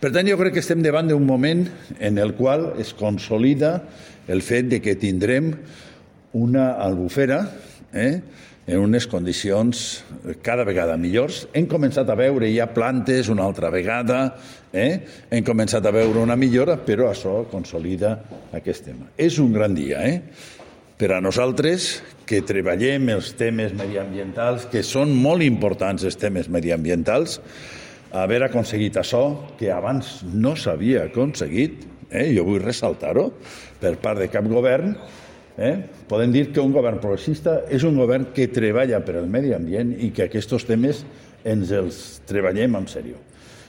Per tant, jo crec que estem davant d'un moment en el qual es consolida el fet de que tindrem una albufera en unes condicions cada vegada millors. Hem començat a veure ja plantes una altra vegada, hem començat a veure una millora, però això consolida aquest tema. És un gran dia, per a nosaltres que treballem els temes mediambientals, que són molt importants els temes mediambientals, haver aconseguit això que abans no s'havia aconseguit, jo vull ressaltar-ho, per part de cap govern. Podem dir que un govern progressista és un govern que treballa per al medi ambient i que aquests temes ens els treballem en sèrio.